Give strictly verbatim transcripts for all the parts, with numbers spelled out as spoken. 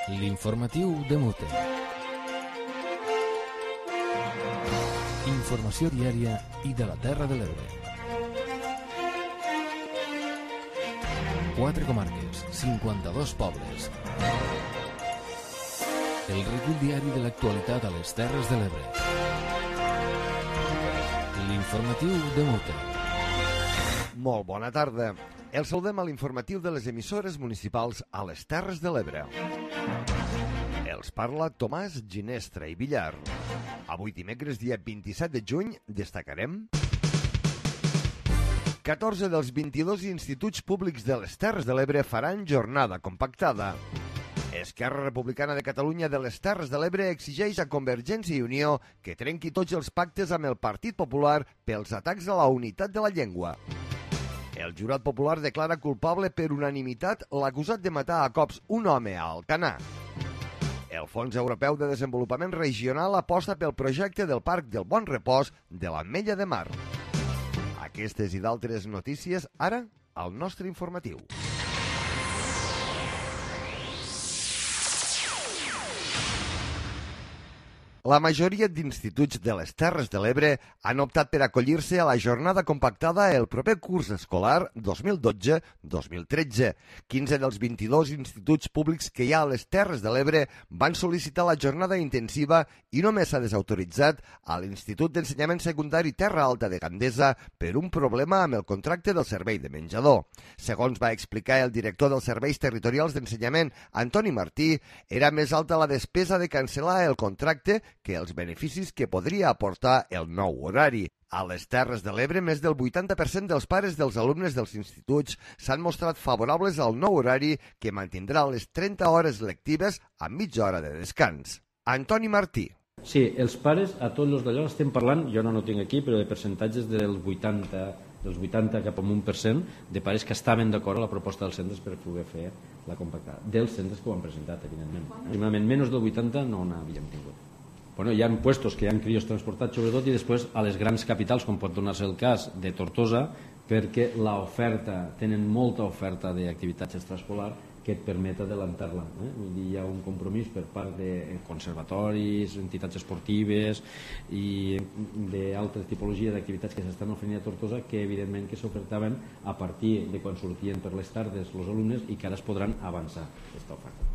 L'informatiu de Mute. Informació diària i de la Terra de l'Ebre. Quatre comarques, cinquanta-dos pobles. El recull diari de l'actualitat a les Terres de l'Ebre. L'informatiu de Mute. Molt bona tarda. El saludem a l'informatiu de les emissores municipals a les Terres de l'Ebre. Els parla Tomàs Ginestra i Villar. Avui dimecres, dia vint-i-set de juny, destacarem catorze dels vint-i-dos instituts públics de les Terres de l'Ebre faran jornada compactada. Esquerra Republicana de Catalunya de les Terres de l'Ebre exigeix a Convergència i Unió que trenqui tots els pactes amb el Partit Popular pels atacs a la unitat de la llengua. El jurat popular declara culpable per unanimitat l'acusat de matar a cops un home a Alcanar. El Fons Europeu de Desenvolupament Regional aposta pel projecte del Parc del Bon Repòs de l'Ametlla de Mar. Aquestes i d'altres notícies ara al nostre informatiu. La majoria d'instituts de les Terres de l'Ebre han optat per acollir-se a la jornada compactada el proper curs escolar dos mil dotze dos mil tretze. quinze dels vint-i-dos instituts públics que hi ha a les Terres de l'Ebre van sol·licitar la jornada intensiva i només s'ha desautoritzat a l'Institut d'Ensenyament Secundari Terra Alta de Gandesa per un problema amb el contracte del servei de menjador. Segons va explicar el director dels Serveis Territorials d'Ensenyament, Antoni Martí, era més alta la despesa de cancel·lar el contracte que els beneficis que podria aportar el nou horari. A les Terres de l'Ebre, més del vuitanta per cent dels pares dels alumnes dels instituts s'han mostrat favorables al nou horari que mantindrà les trenta hores lectives amb mitja hora de descans. Antoni Martí. Sí, els pares, a tots els d'allò estem parlant, jo no ho tinc aquí, però de percentatges del vuitanta, dels vuitanta cap a un per cent de pares que estaven d'acord a la proposta dels centres per poder fer la compactada. Dels centres que ho han presentat, evidentment. Aproximadament menys del vuitanta no n'havíem tingut. Bueno, hi ha puestos que hi ha crios transportats sobretot i després a les grans capitals, com pot donar-se el cas de Tortosa, perquè l'oferta, tenen molta oferta d'activitats extraescolar que et permet adelantar-la. Eh? Vull dir, hi ha un compromís per part de conservatoris, entitats esportives i d'altres tipologies d'activitats que s'estan oferint a Tortosa que evidentment que s'ofertaven a partir de quan sortien per les tardes els alumnes i que ara es podran avançar aquesta oferta.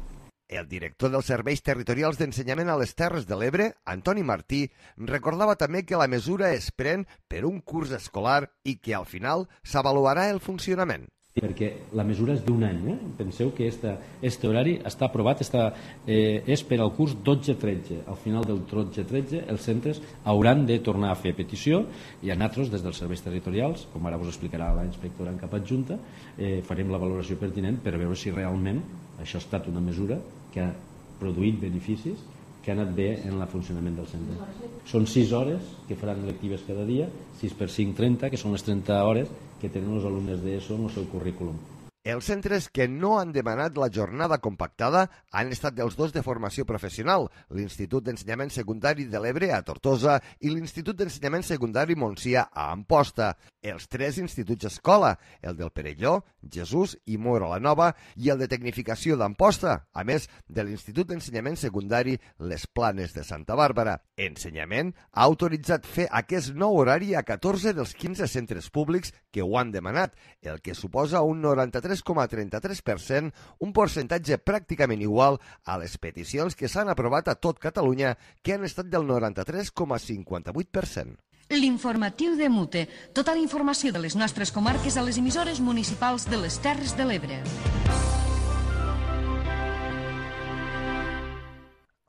El director dels Serveis Territorials d'Ensenyament a les Terres de l'Ebre, Antoni Martí, recordava també que la mesura es pren per un curs escolar i que al final s'avaluarà el funcionament. Perquè la mesura és d'un any. Eh? Penseu que aquest horari està aprovat, està, eh, és per al curs dotze tretze. Al final del dotze tretze els centres hauran de tornar a fer petició i a nosaltres, des dels serveis territorials, com ara us explicarà la inspectora en cap adjunta, eh, farem la valoració pertinent per veure si realment això ha estat una mesura que ha produït beneficis, que ha anat bé en el funcionament del centre. Són sis hores que faran lectives cada dia, sis per cinc, trenta, que són les trenta hores que tenen els alumnes d'ESO en el seu currículum. Els centres que no han demanat la jornada compactada han estat els dos de formació professional, l'Institut d'Ensenyament Secundari de l'Ebre a Tortosa i l'Institut d'Ensenyament Secundari Montsià a Amposta. Els tres instituts escola, el del Perelló, Jesús i Móra la Nova i el de Tecnificació d'Amposta, a més de l'Institut d'Ensenyament Secundari Les Planes de Santa Bàrbara. Ensenyament ha autoritzat fer aquest nou horari a catorze dels quinze centres públics que ho han demanat, el que suposa un noranta-tres coma trenta-tres per cent, un percentatge pràcticament igual a les peticions que s'han aprovat a tot Catalunya, que han estat del noranta-tres coma cinquanta-vuit per cent. L'informatiu de Mute. Tota la informació de les nostres comarques a les emissores municipals de les Terres de l'Ebre.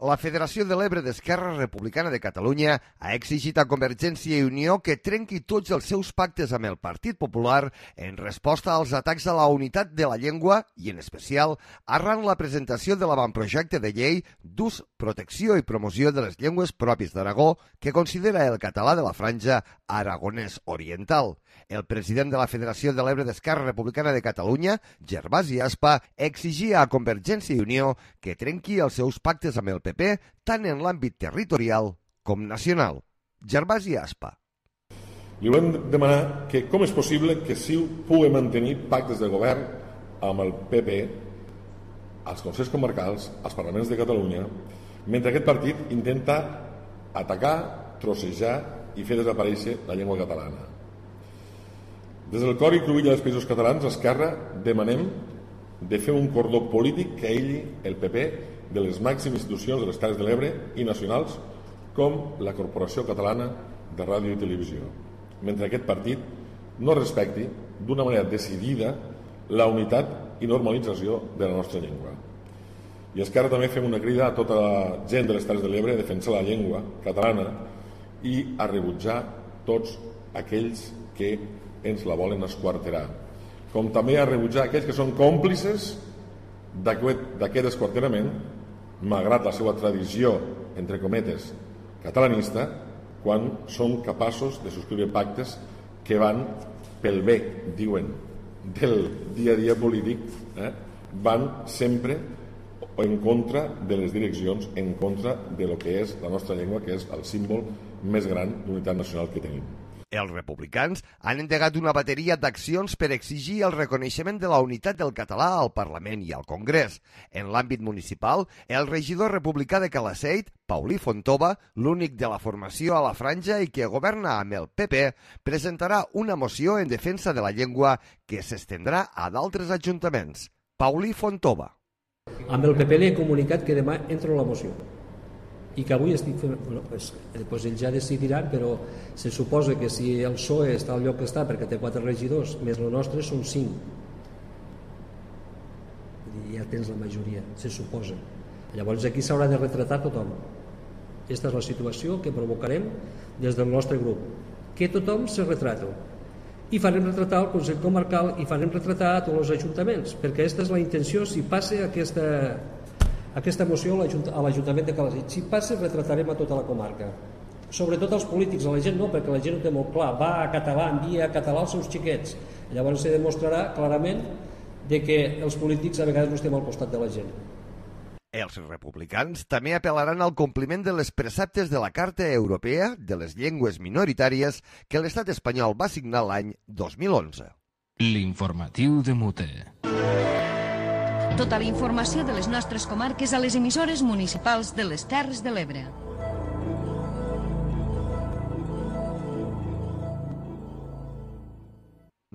La Federació de l'Ebre d'Esquerra Republicana de Catalunya ha exigit a Convergència i Unió que trenqui tots els seus pactes amb el Partit Popular en resposta als atacs a la unitat de la llengua i, en especial, arran la presentació de l'avantprojecte de llei d'ús, protecció i promoció de les llengües pròpies d'Aragó que considera el català de la franja aragonès oriental. El president de la Federació de l'Ebre d'Esquerra Republicana de Catalunya, Gervasi Aspa, exigia a Convergència i Unió que trenqui els seus pactes amb el P P tant en l'àmbit territorial com nacional. Gervasi Aspa. Li volem demanar que com és possible que C I U pugui mantenir pactes de govern amb el P P als consells comarcals, als parlaments de Catalunya, mentre aquest partit intenta atacar, trossejar i fer desaparèixer la llengua catalana. Des del cor i cruïlla dels països catalans, Esquerra demanem de fer un cordó polític que aïlli el P P de les màximes institucions de les Terres de l'Ebre i nacionals com la Corporació Catalana de Ràdio i Televisió, mentre aquest partit no respecti d'una manera decidida la unitat i normalització de la nostra llengua. I Esquerra també fem una crida a tota la gent de les Terres de l'Ebre a defensar la llengua catalana i a rebutjar tots aquells que ens la volen esquarterar, com també a rebutjar aquells que són còmplices d'aquest esquarterament, malgrat la seva tradició, entre cometes, catalanista, quan són capaços de subscriure pactes que van pel bé, diuen, del dia a dia polític, eh? van sempre en contra de les direccions, en contra de lo que és la nostra llengua, que és el símbol més gran d'unitat nacional que tenim. Els republicans han endegat una bateria d'accions per exigir el reconeixement de la unitat del català al Parlament i al Congrés. En l'àmbit municipal, el regidor republicà de Calaceit, Paulí Fontova, l'únic de la formació a la franja i que governa amb el P P, presentarà una moció en defensa de la llengua que s'estendrà a d'altres ajuntaments. Paulí Fontova. Amb el P P li he comunicat que demà entro la moció i que avui estic fent... Bueno, pues, pues ells ja decidiran, però se suposa que si el P S O E està al lloc que està perquè té quatre regidors, més el nostre són cinc. Ja tens la majoria, se suposa. Llavors aquí s'haurà de retratar tothom. Aquesta és la situació que provocarem des del nostre grup. Que tothom se retrata. I farem retratar el Consell Comarcal i farem retratar a tots els ajuntaments, perquè aquesta és la intenció si passa aquesta... aquesta moció a l'Ajuntament de Calaceit. Si passa, retratarem a tota la comarca. Sobretot als polítics, a la gent no, perquè la gent ho té molt clar. Va a català, envia a català als seus xiquets. Llavors se demostrarà clarament de que els polítics a vegades no estem al costat de la gent. Els republicans també apel·laran al compliment de les preceptes de la Carta Europea de les Llengües Minoritàries que l'Estat espanyol va signar l'any dos mil onze. L'informatiu de Mute. Tota la informació de les nostres comarques a les emissores municipals de les Terres de l'Ebre.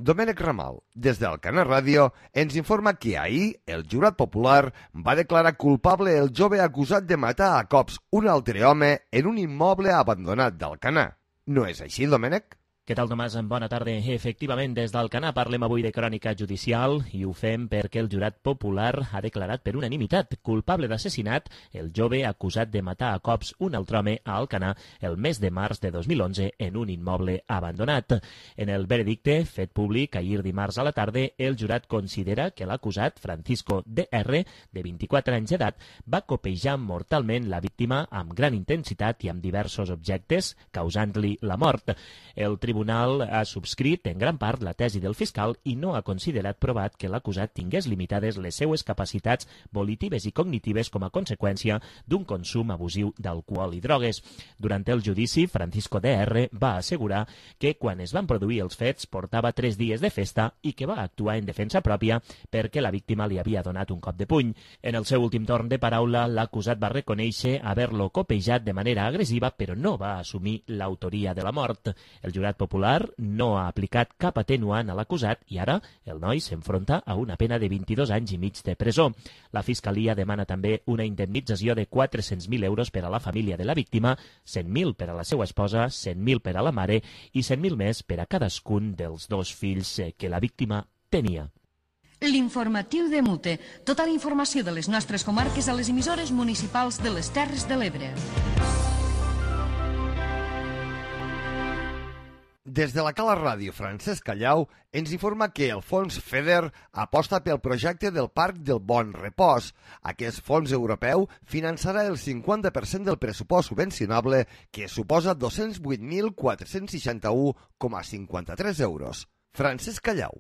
Domènec Ramal, des d'Alcanar Ràdio, ens informa que ahir el jurat popular va declarar culpable el jove acusat de matar a cops un altre home en un immoble abandonat d'Alcanar. No és així, Domènec? Què tal, Tomàs? Bona tarda. Efectivament, des d'Alcanar parlem avui de crònica judicial i ho fem perquè el jurat popular ha declarat per unanimitat culpable d'assassinat el jove acusat de matar a cops un altre home a Alcanar el mes de març de dos mil onze en un immoble abandonat. En el veredicte, fet públic ahir dimarts a la tarda, el jurat considera que l'acusat, Francisco D R, de vint-i-quatre anys d'edat, va copejar mortalment la víctima amb gran intensitat i amb diversos objectes, causant-li la mort. El tribunal El tribunal ha subscrit en gran part la tesi del fiscal i no ha considerat provat que l'acusat tingués limitades les seues capacitats volitives i cognitives com a conseqüència d'un consum abusiu d'alcohol i drogues. Durant el judici, Francisco D R va assegurar que quan es van produir els fets portava tres dies de festa i que va actuar en defensa pròpia perquè la víctima li havia donat un cop de puny. En el seu últim torn de paraula, l'acusat va reconèixer haver-lo copejat de manera agressiva, però no va assumir l'autoria de la mort. El jurat popular no ha aplicat cap atenuant a l'acusat i ara el noi s'enfronta a una pena de vint-i-dos anys i mig de presó. La Fiscalia demana també una indemnització de quatre-cents mil euros per a la família de la víctima, cent mil per a la seva esposa, cent mil per a la mare i cent mil més per a cadascun dels dos fills que la víctima tenia. L'informatiu de Mute. Tota la informació de les nostres comarques a les emissores municipals de les Terres de l'Ebre. Des de la Cala Ràdio, Francesc Callau ens informa que el fons FEDER aposta pel projecte del Parc del Bon Repòs. Aquest fons europeu finançarà el cinquanta per cent del pressupost subvencionable, que suposa dos-cents vuit mil quatre-cents seixanta-u coma cinquanta-tres euros. Francesc Callau.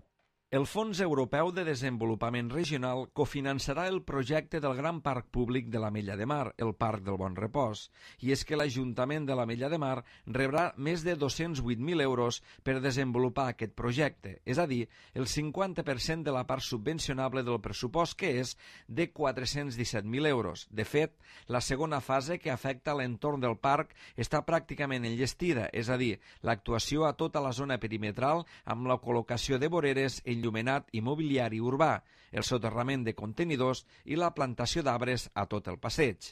El Fons Europeu de Desenvolupament Regional cofinançarà el projecte del gran parc públic de l'Ametlla de Mar, el Parc del Bon Repòs, i és que l'Ajuntament de l'Ametlla de Mar rebrà més de dos-cents vuit mil euros per desenvolupar aquest projecte, és a dir, el cinquanta per cent de la part subvencionable del pressupost, que és de quatre-cents disset mil euros. De fet, la segona fase, que afecta l'entorn del parc, està pràcticament enllestida, és a dir, l'actuació a tota la zona perimetral amb la col·locació de voreres, enllumenat i mobiliari urbà, el soterrament de contenidors i la plantació d'arbres a tot el passeig.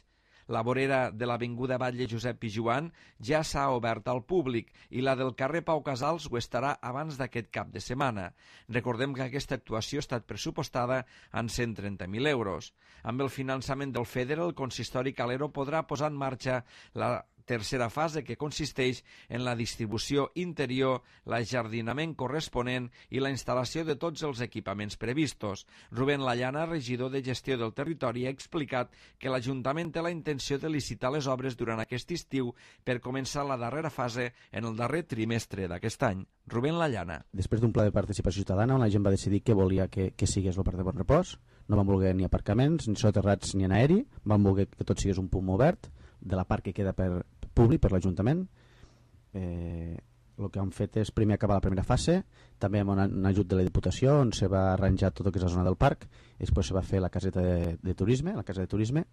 La vorera de l'avinguda Batlle Josep Pijuan ja s'ha obert al públic i la del carrer Pau Casals ho estarà abans d'aquest cap de setmana. Recordem que aquesta actuació ha estat pressupostada en cent trenta mil euros. Amb el finançament del FEDER, el consistori Calero podrà posar en marxa la tercera fase, que consisteix en la distribució interior, l'ajardinament corresponent i la instal·lació de tots els equipaments previstos. Rubén Lallana, regidor de Gestió del Territori, ha explicat que l'Ajuntament té la intenció de licitar les obres durant aquest estiu per començar la darrera fase en el darrer trimestre d'aquest any. Rubén Lallana. Després d'un pla de participació ciutadana on la gent va decidir que volia que, que sigués el Parc de Bon Repòs, no van voler ni aparcaments, ni soterrats ni en aeri, van voler que tot sigués un punt obert de la part que queda per públic, per l'Ajuntament. Eh, el que han fet és primer acabar la primera fase, també amb un ajut de la Diputació, on se va arranjar tot el que és la zona del parc, i després se va fer la caseta de, de turisme, la casa de turisme,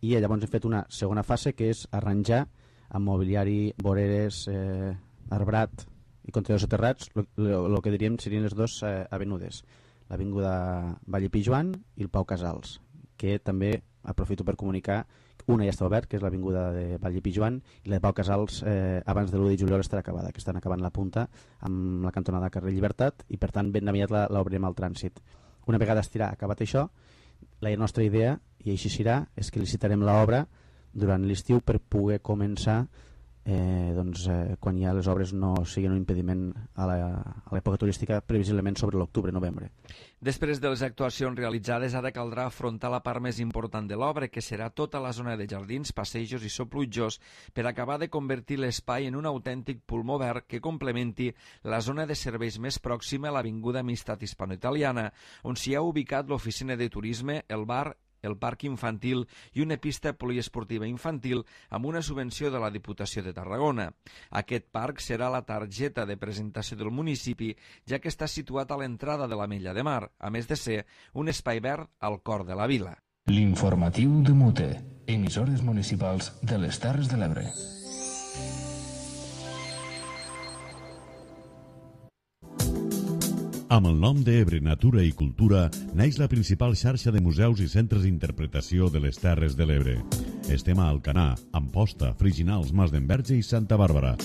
i llavors hem fet una segona fase, que és arranjar amb mobiliari, voreres, eh, arbrat i contenidors soterrats, el que diríem serien les dues eh, avenudes, l'avinguda Batlle Pijuan i el Pau Casals, que també aprofito per comunicar. Una ja està obert, que és l'avinguda de Batlle Pijuan, i la de Pau Casals eh, abans de l'u de juliol estarà acabada, que estan acabant la punta amb la cantonada carrer Llibertat, i per tant ben aviat l'obrirem al trànsit. Una vegada estirà acabat això, la nostra idea, i així serà, és que licitarem l'obra durant l'estiu per poder començar eh, doncs, eh, quan ja les obres no siguin un impediment a l'època turística, previsiblement sobre l'octubre-novembre. Després de les actuacions realitzades, ara caldrà afrontar la part més important de l'obra, que serà tota la zona de jardins, passejos i sopluitjors, per acabar de convertir l'espai en un autèntic pulmó verd que complementi la zona de serveis més pròxima a l'Avinguda Amistat Hispano-Italiana, on s'hi ha ubicat l'oficina de turisme, el bar, el parc infantil i una pista poliesportiva infantil amb una subvenció de la Diputació de Tarragona. Aquest parc serà la targeta de presentació del municipi, ja que està situat a l'entrada de l'Ametlla de Mar, a més de ser un espai verd al cor de la vila. L'informatiu de Mute, emissores municipals de les Terres de l'Ebre. Amb el nom d'Ebre Natura i Cultura naix la principal xarxa de museus i centres d'interpretació de les Terres de l'Ebre. Estem a Alcanar, Amposta, Friginals, Mas d'Enverge i Santa Bàrbara.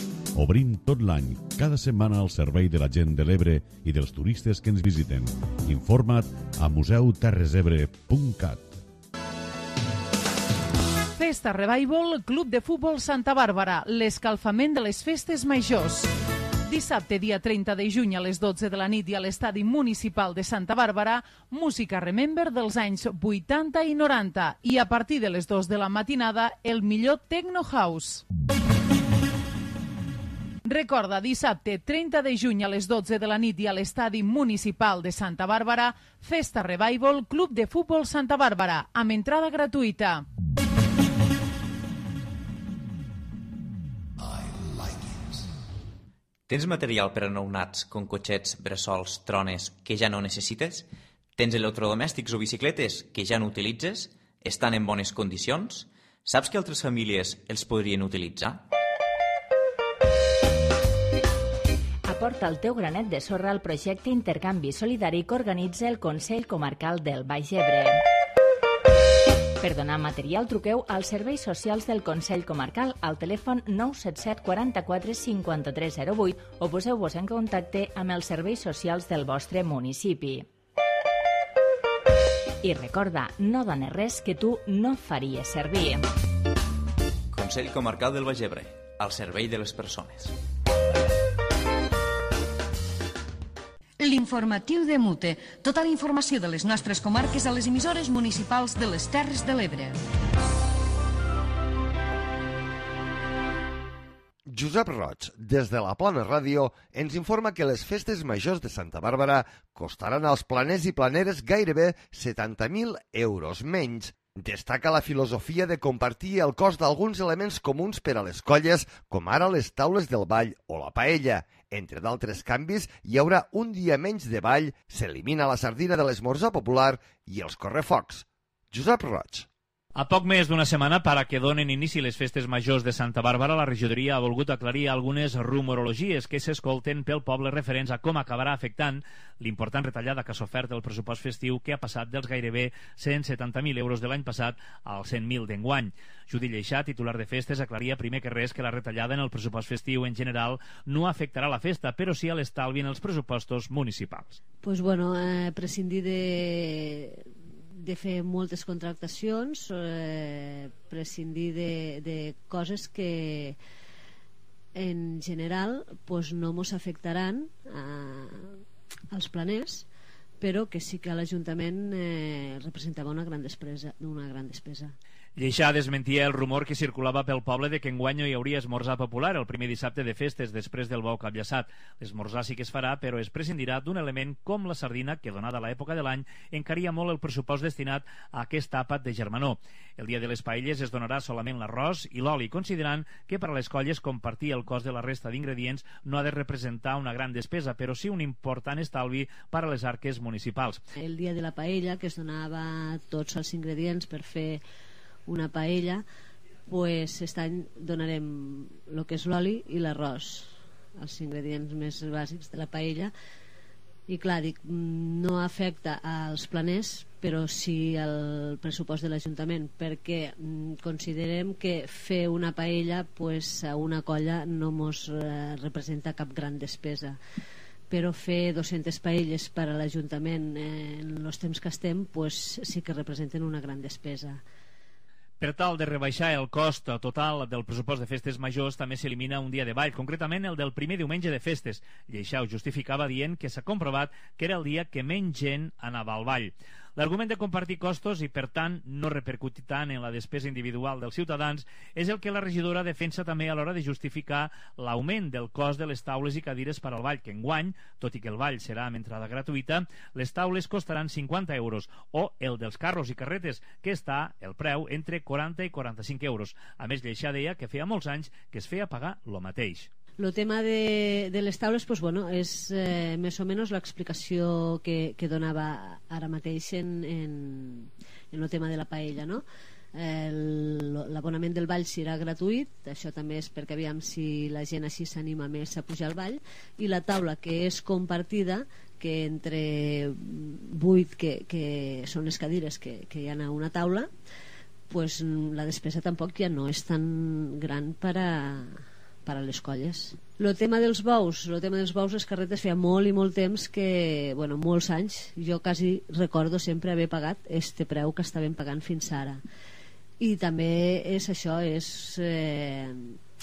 Obrim tot l'any, cada setmana al servei de la gent de l'Ebre i dels turistes que ens visiten. Informa't a museu terres ebre punt cat. Festa Revival, Club de Futbol Santa Bàrbara, l'escalfament de les festes majors. Dissabte, dia trenta de juny a les dotze de la nit i a l'estadi municipal de Santa Bàrbara, música Remember dels anys vuitanta i noranta i a partir de les dues de la matinada el millor Techno House. Recorda, dissabte trenta de juny a les dotze de la nit i a l'estadi municipal de Santa Bàrbara, Festa Revival, Club de Futbol Santa Bàrbara, amb entrada gratuïta. Tens material per a nounats, com cotxets, bressols, trones, que ja no necessites? Tens electrodomèstics o bicicletes que ja no utilitzes? Estan en bones condicions? Saps que altres famílies els podrien utilitzar? Aporta el teu granet de sorra al projecte Intercanvi Solidari que organitza el Consell Comarcal del Baix Ebre. Per donar material, truqueu als serveis socials del Consell Comarcal al telèfon nou set set quaranta-quatre cinquanta-tres zero vuit o poseu-vos en contacte amb els serveis socials del vostre municipi. I recorda, no dones res que tu no faries servir. Consell Comarcal del Baix Ebre, al servei de les persones. L'informatiu de Mute. Tota la informació de les nostres comarques a les emissores municipals de les Terres de l'Ebre. Josep Roig, des de la Plana Ràdio, ens informa que les festes majors de Santa Bàrbara costaran als planers i planeres gairebé setanta mil euros menys. Destaca la filosofia de compartir el cost d'alguns elements comuns per a les colles, com ara les taules del ball o la paella. Entre d'altres canvis, hi haurà un dia menys de ball, s'elimina la sardina de l'esmorzar popular i els correfocs. Josep Roig. A poc més d'una setmana per a que donen inici les festes majors de Santa Bàrbara, la regidoria ha volgut aclarir algunes rumorologies que s'escolten pel poble referents a com acabarà afectant l'important retallada que s'ha ofert el pressupost festiu, que ha passat dels gairebé cent setanta mil euros de l'any passat als cent mil d'enguany. Judit Lleixà, titular de festes, aclaria primer que res que la retallada en el pressupost festiu en general no afectarà la festa, però sí a l'estalvi en els pressupostos municipals. Pues bueno, eh, prescindir de... de fer moltes contractacions, eh, prescindir de, de coses que en general pues, no ens afectaran a, als planers, però que sí que a l'Ajuntament eh, representava una gran despesa, una gran despesa. Lleixà desmentia el rumor que circulava pel poble de que enguany no hi hauria esmorzar popular el primer dissabte de festes després del bou capllaçat. L'esmorzar sí que es farà, però es prescindirà d'un element com la sardina, que donada l'època de l'any encaria molt el pressupost destinat a aquest àpat de germanor. El dia de les paelles es donarà solament l'arròs i l'oli, considerant que per a les colles compartir el cost de la resta d'ingredients no ha de representar una gran despesa, però sí un important estalvi per a les arques municipals. El dia de la paella, que es donava tots els ingredients per fer una paella, pues aquest any donarem el que és l'oli i l'arròs, els ingredients més bàsics de la paella, i clar, dic, no afecta als planers, però sí al pressupost de l'Ajuntament, perquè considerem que fer una paella pues, a una colla no ens eh, representa cap gran despesa, però fer dues-centes paelles per a l'Ajuntament eh, en els temps que estem pues, sí que representen una gran despesa. Per tal de rebaixar el cost total del pressupost de festes majors, també s'elimina un dia de ball, concretament el del primer diumenge de festes. Lleixà ho justificava dient que s'ha comprovat que era el dia que menys gent anava al ball. L'argument de compartir costos i, per tant, no repercutir tant en la despesa individual dels ciutadans és el que la regidora defensa també a l'hora de justificar l'augment del cost de les taules i cadires per al ball, que enguany, tot i que el ball serà amb entrada gratuïta, les taules costaran cinquanta euros, o el dels carros i carretes, que està el preu entre quaranta i quaranta-cinc euros. A més, Lleixà deia que feia molts anys que es feia pagar lo mateix. El tema de, de les taules pues, bueno, és eh, més o menys l'explicació que, que donava ara mateix en, en, en el tema de la paella, no? L'abonament del ball serà gratuït, això també és perquè aviam si la gent així s'anima més a pujar al ball, i la taula que és compartida, que entre vuit que, que són les cadires que, que hi ha a una taula, pues, la despesa tampoc ja no és tan gran per a per a les colles. El tema dels bous, el tema dels bous, les carretes feia molt i molt temps que, bueno, molts anys, jo quasi recordo sempre haver pagat este preu que estàvem pagant fins ara. I també és això, és eh,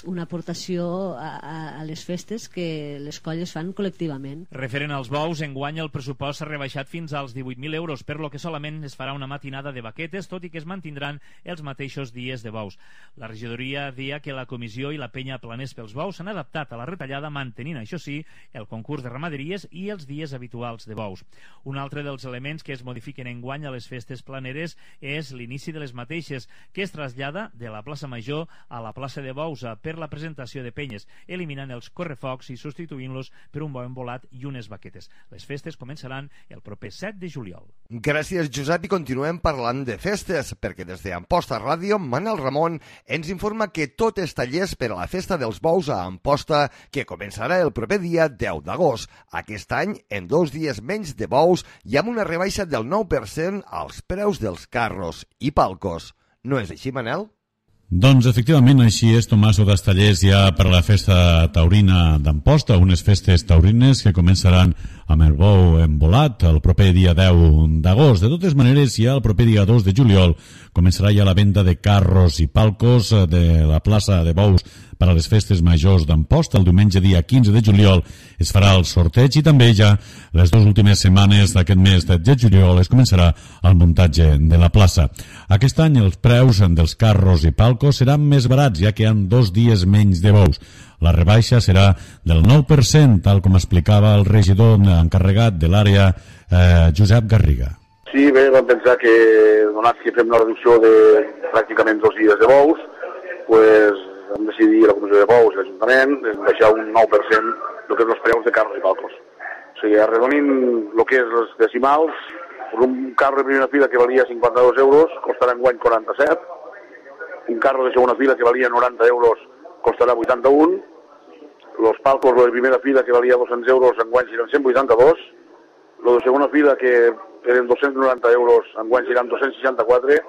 una aportació a, a, a les festes que les colles fan col·lectivament. Referent als bous, enguany el pressupost s'ha rebaixat fins als divuit mil euros, per lo que solament es farà una matinada de baquetes, tot i que es mantindran els mateixos dies de bous. La regidoria dia que la comissió i la penya planers pels bous s'han adaptat a la retallada, mantenint, això sí, el concurs de ramaderies i els dies habituals de bous. Un altre dels elements que es modifiquen enguany a les festes planeres és l'inici de les mateixes, que es trasllada de la plaça Major a la plaça de Bous per la presentació de penyes, eliminant els correfocs i substituint-los per un bou embolat i unes baquetes. Les festes començaran el proper set de juliol. Gràcies, Josep, i continuem parlant de festes, perquè des d'Amposta Ràdio, Manel Ramon ens informa que tot és tallers per a la festa dels bous a Amposta, que començarà el proper dia deu d'agost. Aquest any, en dos dies menys de bous i amb una rebaixa del nou per cent als preus dels carros i palcos. No és així, Manel? Doncs efectivament així és, Tomàs Odastallers, ja per la festa taurina d'Amposta, unes festes taurines que començaran amb el bou embolat el proper dia deu d'agost. De totes maneres, ja el proper dia dos de juliol començarà ja la venda de carros i palcos de la plaça de bous per a les festes majors d'Amposta. El diumenge dia quinze de juliol es farà el sorteig i també ja les dues últimes setmanes d'aquest mes de juliol es començarà el muntatge de la plaça. Aquest any els preus dels carros i palcos seran més barats, ja que hi ha dos dies menys de bous. La rebaixa serà del nou per cent, tal com explicava el regidor encarregat de l'àrea, eh, Josep Garriga. Sí, bé, vam pensar que, donat que fem una reducció de pràcticament dos dies de bous, pues, vam decidir la Comissió de Bous i l'Ajuntament baixar un nou per cent el que és els preus de carros i palcos. O sigui, arredonint el que és les decimals, un carro de primera fila que valia cinquanta-dos euros costarà enguany quaranta-set, un carro de segona fila que valia noranta euros costarà vuitanta-un, els palcos de primera fila que valia dos-cents euros enguany seran cent vuitanta-dos, el de segona fila que eren dos-cents noranta euros enguany seran dos-cents seixanta-quatre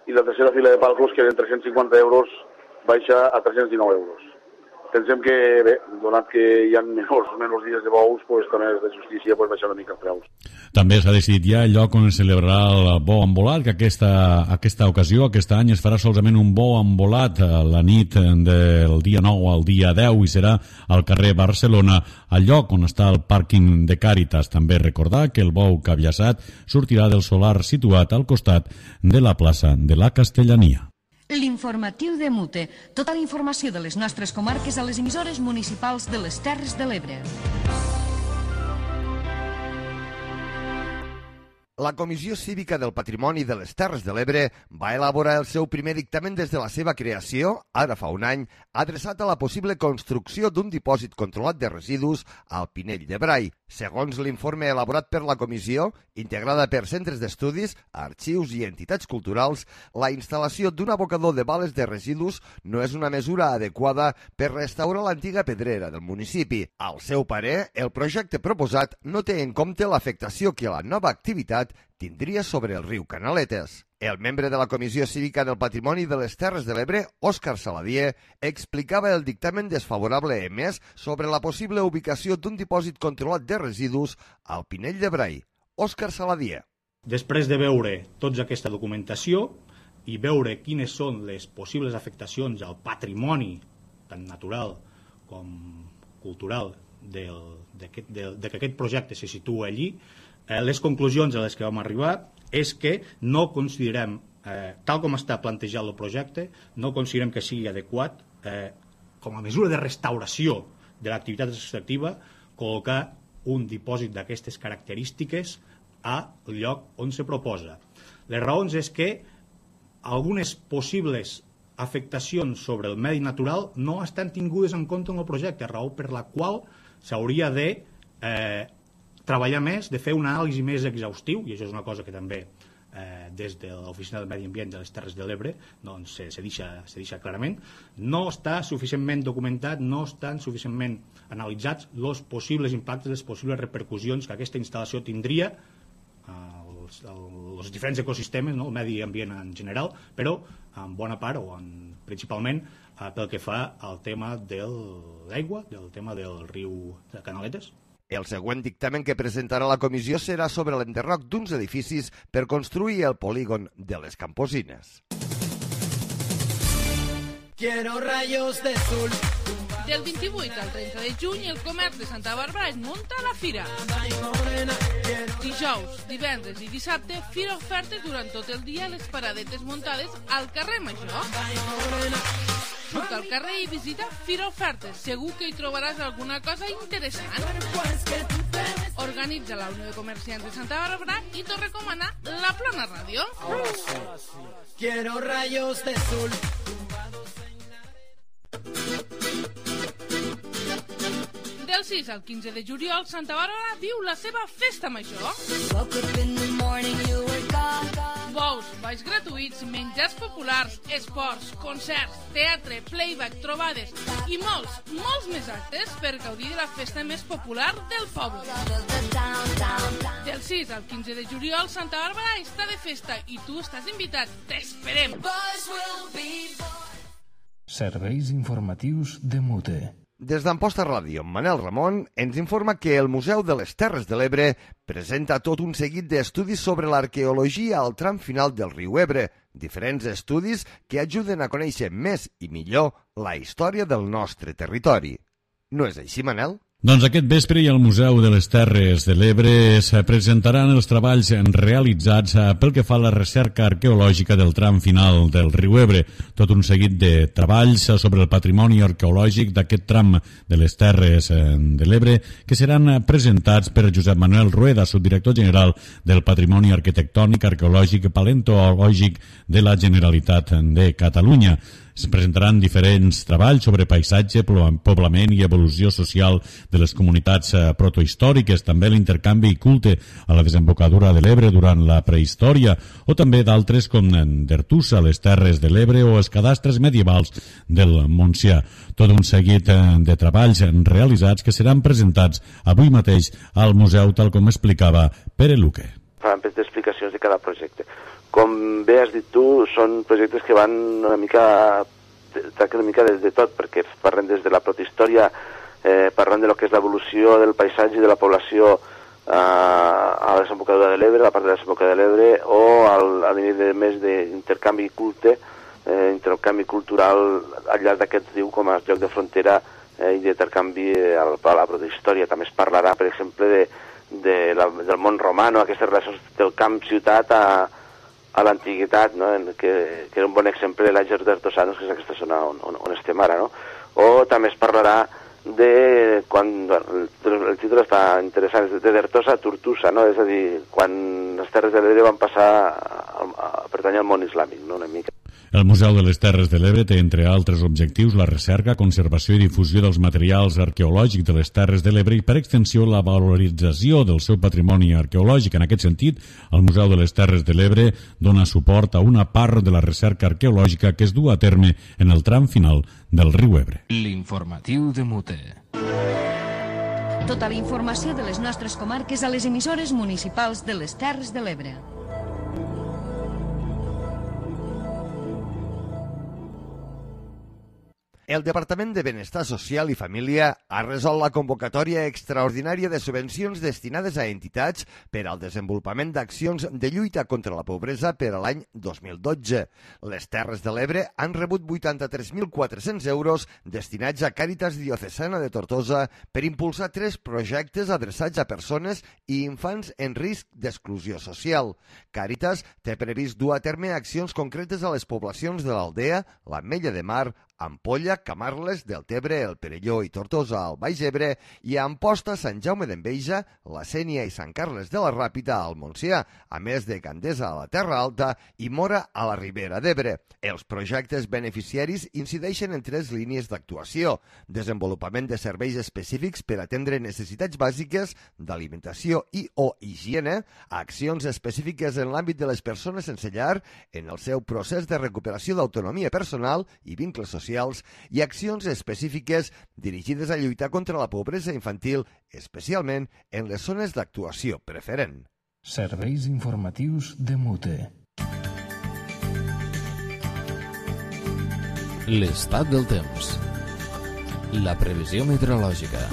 i la tercera fila de palcos que eren tres-cents cinquanta euros baixa a tres-cents dinou euros. Pensem que, bé, donat que hi ha menys, menys dies de bous, pues, també és de justícia pues, baixar una mica els preus. També s'ha decidit ja el lloc on es celebrarà el bou embolat, que aquesta, aquesta ocasió, aquest any, es farà solament un bou embolat la nit del dia nou al dia deu i serà al carrer Barcelona, al lloc on està el pàrquing de Càritas. També recordar que el bou caviassat sortirà del solar situat al costat de la plaça de la Castellania. L'informatiu de Mute. Tota la informació de les nostres comarques a les emissores municipals de les Terres de l'Ebre. La Comissió Cívica del Patrimoni de les Terres de l'Ebre va elaborar el seu primer dictamen des de la seva creació, ara fa un any, adreçat a la possible construcció d'un dipòsit controlat de residus al Pinell de Brai. Segons l'informe elaborat per la comissió, integrada per centres d'estudis, arxius i entitats culturals, la instal·lació d'un abocador de bales de residus no és una mesura adequada per restaurar l'antiga pedrera del municipi. Al seu parer, el projecte proposat no té en compte l'afectació que la nova activitat tindria sobre el riu Canaletes. El membre de la Comissió Cívica del Patrimoni de les Terres de l'Ebre, Òscar Saladier, explicava el dictamen desfavorable emès sobre la possible ubicació d'un dipòsit controlat de residus al Pinell de Brai. Òscar Saladier. Després de veure tota aquesta documentació i veure quines són les possibles afectacions al patrimoni, tant natural com cultural, del, de, de, de que aquest projecte se situa allí, eh, les conclusions a les que vam arribar és que no considerem, eh, tal com està plantejat el projecte, no considerem que sigui adequat, eh, com a mesura de restauració de l'activitat extractiva, col·locar un dipòsit d'aquestes característiques al lloc on se proposa. Les raons és que algunes possibles afectacions sobre el medi natural no estan tingudes en compte en el projecte, raó per la qual s'hauria de eh, treballar més, de fer un anàlisi més exhaustiu, i això és una cosa que també eh, des de l'Oficina del Medi Ambient de les Terres de l'Ebre doncs, se, se, deixa, se deixa clarament, no està suficientment documentat, no estan suficientment analitzats els possibles impactes, les possibles repercussions que aquesta instal·lació tindria als els diferents ecosistemes, no? El medi ambient en general, però en bona part o en, principalment eh, pel que fa al tema de l'aigua, del tema del riu de Canaletes. El següent dictamen que presentarà la comissió serà sobre l'enderroc d'uns edificis per construir el polígon de les Camposines. Quiero rayos de sol. Del vint-i-vuit al trenta de juny, el comerç de Santa Bàrbara es munta a la fira. Dijous, divendres i dissabte, fira ofertes durant tot el dia a les paradetes muntades al carrer Major. Surt al carrer i visita Fira Ofertes. Segur que hi trobaràs alguna cosa interessant. Organitza la Unió de Comerciants de Santa Bàrbara i t'ho recomana la Plana Ràdio. Quiero rayos de sol. Del sis al quinze de juliol, Santa Bàrbara viu la seva festa major. Bous, balls gratuïts, menjars populars, esports, concerts, teatre, playback, trobades i molts, molts més actes per gaudir de la festa més popular del poble. Del sis al quinze de juliol, Santa Bàrbara està de festa i tu estàs invitat. T'esperem! Serveis informatius de Mute. Des d'Amposta Ràdio, Manel Ramon ens informa que el Museu de les Terres de l'Ebre presenta tot un seguit d'estudis sobre l'arqueologia al tram final del riu Ebre, diferents estudis que ajuden a conèixer més i millor la història del nostre territori. No és així, Manel? Doncs aquest vespre i al Museu de les Terres de l'Ebre es presentaran els treballs realitzats pel que fa a la recerca arqueològica del tram final del riu Ebre. Tot un seguit de treballs sobre el patrimoni arqueològic d'aquest tram de les Terres de l'Ebre que seran presentats per Josep Manuel Rueda, subdirector general del Patrimoni Arquitectònic, Arqueològic i Paleontològic de la Generalitat de Catalunya. Es presentaran diferents treballs sobre paisatge, poblament i evolució social de les comunitats protohistòriques, també l'intercanvi i culte a la desembocadura de l'Ebre durant la prehistòria, o també d'altres com d'Ertussa, les Terres de l'Ebre o els cadastres medievals del Montsià. Tot un seguit de treballs realitzats que seran presentats avui mateix al museu, tal com explicava Pere Luque. Faran explicacions de cada projecte. Com bé has dit tu, són projectes que van una mica, tracten una mica de, de tot, perquè parlen des de la protihistòria, eh, parlant de lo que és l'evolució del paisatge i de la població eh, a la desembocadura de l'Ebre, a la part de la desembocadura de l'Ebre, o al, a nivell de més d'intercanvi culte, eh, intercanvi cultural al llarg d'aquest riu com a lloc de frontera eh, i d'intercanvi a la protihistòria. També es parlarà, per exemple, de, de la, del món romano, aquestes relacions del camp-ciutat a a l'antiguitat, no? que, que era un bon exemple de l'Àger d'Ertossanos, que és aquesta zona on, on, on estem ara. No? O també es parlarà de, quan, el, el títol està interessant, de Dertosa a Tortosa, no? És a dir, quan les Terres de l'Ebre van passar a, a, a pertànyer al món islàmic, no? Una mica. El Museu de les Terres de l'Ebre té, entre altres objectius, la recerca, conservació i difusió dels materials arqueològics de les Terres de l'Ebre i, per extensió, la valorització del seu patrimoni arqueològic. En aquest sentit, el Museu de les Terres de l'Ebre dona suport a una part de la recerca arqueològica que es du a terme en el tram final del riu Ebre. L'informatiu de Mute. Tota la informació de les nostres comarques a les emissores municipals de les Terres de l'Ebre. El Departament de Benestar Social i Família ha resolt la convocatòria extraordinària de subvencions destinades a entitats per al desenvolupament d'accions de lluita contra la pobresa per a l'any dos mil dotze. Les Terres de l'Ebre han rebut vuitanta-tres mil quatre-cents euros destinats a Càritas Diocesana de Tortosa per impulsar tres projectes adreçats a persones i infants en risc d'exclusió social. Càritas té previst dur a terme accions concretes a les poblacions de l'Aldea, l'Ametlla de Mar, Ampolla, Camarles, Deltebre, el Perelló i Tortosa al Baix Ebre i a Amposta, Sant Jaume d'Enveja, la Sénia i Sant Carles de la Ràpita al Montsià, a més de Gandesa a la Terra Alta i Mora a la Ribera d'Ebre. Els projectes beneficiaris incideixen en tres línies d'actuació: desenvolupament de serveis específics per atendre necessitats bàsiques d'alimentació i o higiene, accions específiques en l'àmbit de les persones sense llar en el seu procés de recuperació d'autonomia personal i vincles socials, i accions específiques dirigides a lluitar contra la pobresa infantil, especialment en les zones d'actuació preferent. Serveis informatius de Mute. L'estat del temps. La previsió meteorològica.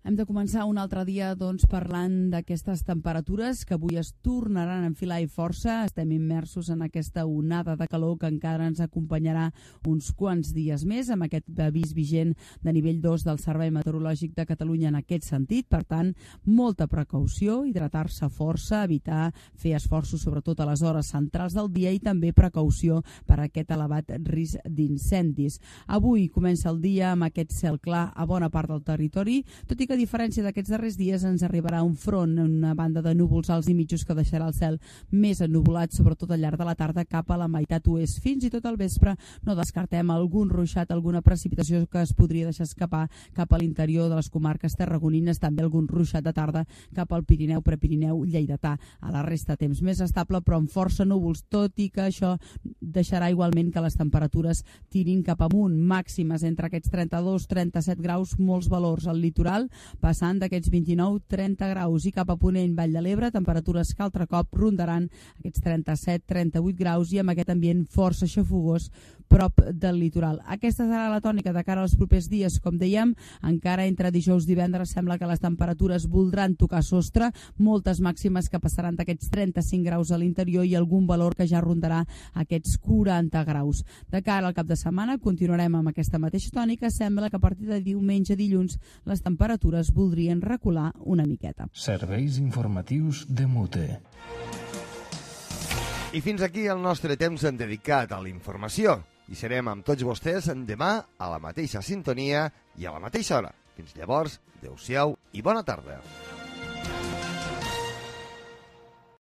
Hem de començar un altre dia doncs, parlant d'aquestes temperatures que avui es tornaran a enfilar i força. Estem immersos en aquesta onada de calor que encara ens acompanyarà uns quants dies més, amb aquest avís vigent de nivell dos del Servei Meteorològic de Catalunya en aquest sentit. Per tant, molta precaució, hidratar-se força, evitar fer esforços sobretot a les hores centrals del dia i també precaució per a aquest elevat risc d'incendis. Avui comença el dia amb aquest cel clar a bona part del territori, tot i que a diferència d'aquests darrers dies ens arribarà un front, una banda de núvols alts i mitjos que deixarà el cel més ennuvolat, sobretot al llarg de la tarda cap a la meitat oest. Fins i tot al vespre no descartem algun ruixat, alguna precipitació que es podria deixar escapar cap a l'interior de les comarques tarragonines, també algun ruixat de tarda cap al Pirineu, Prepirineu, Lleidatà. A la resta temps més estable però amb força núvols, tot i que això deixarà igualment que les temperatures tirin cap amunt, màximes entre aquests trenta-dos a trenta-set graus, molts valors al litoral, passant d'aquests vint-i-nou a trenta graus, i cap a Ponent, Vall de l'Ebre, temperatures que altre cop rondaran aquests trenta-set a trenta-vuit graus i amb aquest ambient força xafogós prop del litoral. Aquesta serà la tònica de cara als propers dies. Com dèiem, encara entre dijous i divendres sembla que les temperatures voldran tocar sostre, moltes màximes que passaran d'aquests trenta-cinc graus a l'interior i algun valor que ja rondarà aquests quaranta graus. De cara al cap de setmana continuarem amb aquesta mateixa tònica. Sembla que a partir de diumenge a dilluns les temperatures voldrien recular una miqueta. Serveis informatius de Mute. I fins aquí el nostre temps dedicat a la informació. I serem amb tots vostès demà a la mateixa sintonia i a la mateixa hora. Fins llavors, adeu-siau i bona tarda.